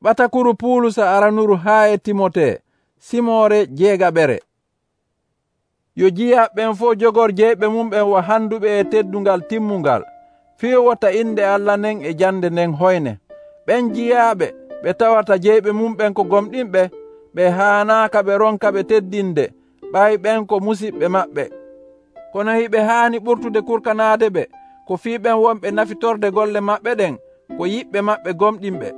Ɓatakuru Puulusa aranuru haa e Timote, Simoore jeegaɓere. Yo jeyaaɓe ɓen fof jogor jeyɓe mum ɓen handuɓe e teddungal timmungal, fii wota inde Allah nden e jande nden hoyne. Ɓen jeyaaɓe ɓe tawata jeyɓe mum ɓen ko gomɗinɓe, ɓe haanaaka ɓe ronka ɓe teddinde ɓayi ɓen ko musidɓe maɓɓe. Kono hiɓe haani ɓurtude kurkanaade ɓe ko fii ɓen wonɓe nafitorde golle maɓɓe ɗen ko yiɓɓe maɓɓe gomɗinɓe.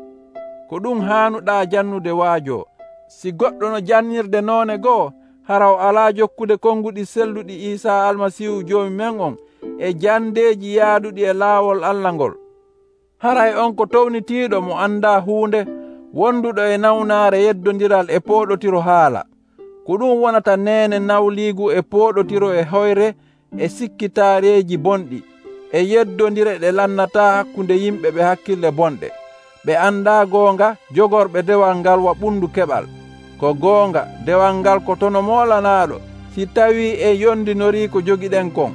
Ko ɗum haanuɗaa jannude waajo. Si goɗɗo no jannirde noone go'o, haraw alaa jokkude konnguɗi selluɗi Iisaa Almasiihu Joomi men on e jandeeji yaaduɗi e laawol Allah ngol. Haray on ko townitiiɗo mo andaa huunde, wonduɗo e nawnaare yeddondiral e pooɗotiro haala. Ko ɗum wonata neene nawliigu e pooɗotiro e hoyre e sikkitaareeji bonɗi, e yeddondire ɗe lannataa hakkunde yimɓe ɓe hakkille bonɗe. Ɓe andaa goonga jogorɓe dewal ngal waɓundu keɓal. Ko goonga dewal ngal ko tono moolanaaɗo si tawii en yondinorii ko jogiɗen kon.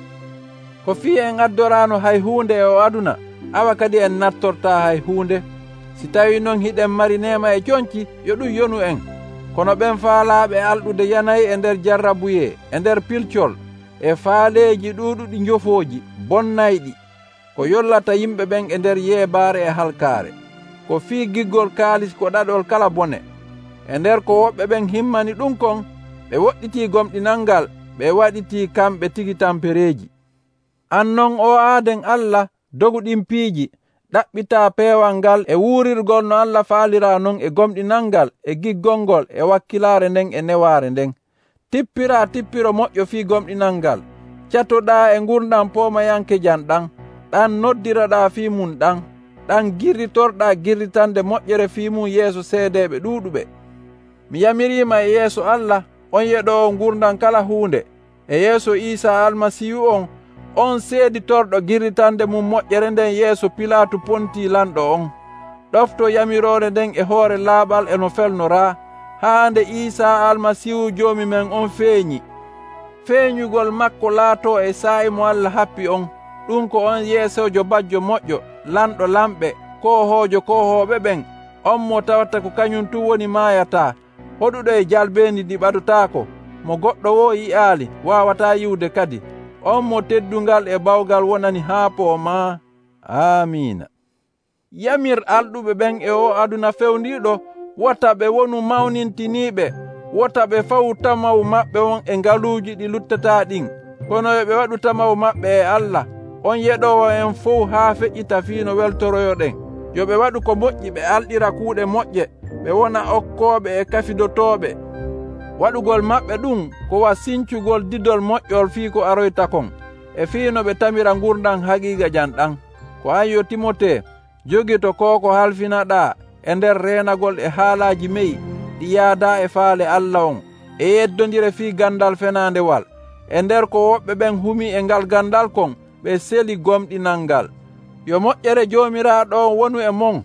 Ko fii en addoraano hay huunde e o aduna, awa kadi en nattortaa hay huunde. Si tawii non hiɗen mari neema e conci, yo ɗum yonu en. Kono ɓen faalaaɓe alɗude yanayi e nder jarrabuye, e nder pilcol, e faaleeji ɗuuɗuɗi njofooji bonnayɗi, ko yollata yimɓe ɓen e nder yeebaare e halkaare. Ko fii giggol kaalis ko ɗaɗol kala bone. E nder ko woɓɓe ɓen himmani ɗum kon, ɓe woɗɗitii gomɗinal ngal, ɓe waɗitii kamɓe tigi tampereeji. An non o aaden Allah dogu ɗin piiji, ɗaɓɓitaa peewal ngal e wuurirgol no Allah faaliraa non e gomɗinal ngal e giggol ngol e wakkilaare nden e newaare nden. Tippiraa tippiro moƴƴo fii gomɗinal ngal. Catoɗaa e ngurdam poomayanke jam ɗam. Ɗan noddiraɗaa fii mum ɗam. Ɗan girritorɗaa girritande moƴƴere fii mum yeeso seedeeɓe ɗuuɗuɓe. Mi yamiriima e yeeso Allah, on yeɗoowo ngurdam kala huunde, e yeeso Iisaa Almasiihu on seeditorɗo girritande mum moƴƴere nden yeeso Pilaatu Pontii lanɗo on. Ɗofto yamiroore nden e hoore laaɓal e no felnoraa, haa nde Iisaa Almasiihu Joomi men on feeñi. Feeñugol makko laatoo e saa'i mo Allah happi on. Ɗum ko on yeesojo bajjo moƴƴo, lanɗo lamɓe, koohoojo koohooɓe ɓen, on mo tawata ko kañum tum woni maayataa, hoɗuɗo e jalbeendi ɗi ɓadotaako, mo goɗɗo wo yi'aali waawataa yiwde kadi. On mo teddungal e bawgal wonani haa poomaa. Amiina. Yamir alɗuɓe ɓen e o aduna fewndiiɗo, wota ɓe wonu mawnintiniiɓe, wota ɓe fawu tamaw maɓɓe on e ngaluuji ɗi luttataa ɗin, kono yo ɓe waɗu tamaw maɓɓe e Allah, on yeɗoowo en fof haa feƴƴita fii no weltoroyoɗen. Yo ɓe waɗu ko moƴƴi, ɓe alɗira kuuɗe moƴƴe, ɓe wona okkooɓe e kafidotooɓe. Waɗugol maɓɓe ɗum ko wasincugol didol moƴƴol fii ko aroyta kon, e fii no ɓe tamira ngurdam haqiiqa jam ɗam. Ko an yo Timote, jogito ko halfinaɗaa e nder reenagol e haalaaji meyi ɗi yaadaa e faale Allah on, e yeddondire fii gandal fenaandewal. E nder ko woɓɓe ɓen humii e ngal gandal kon, ɓe seli gomɗinal ngal. Yo moƴƴere Joomiraaɗo on wonu e mon.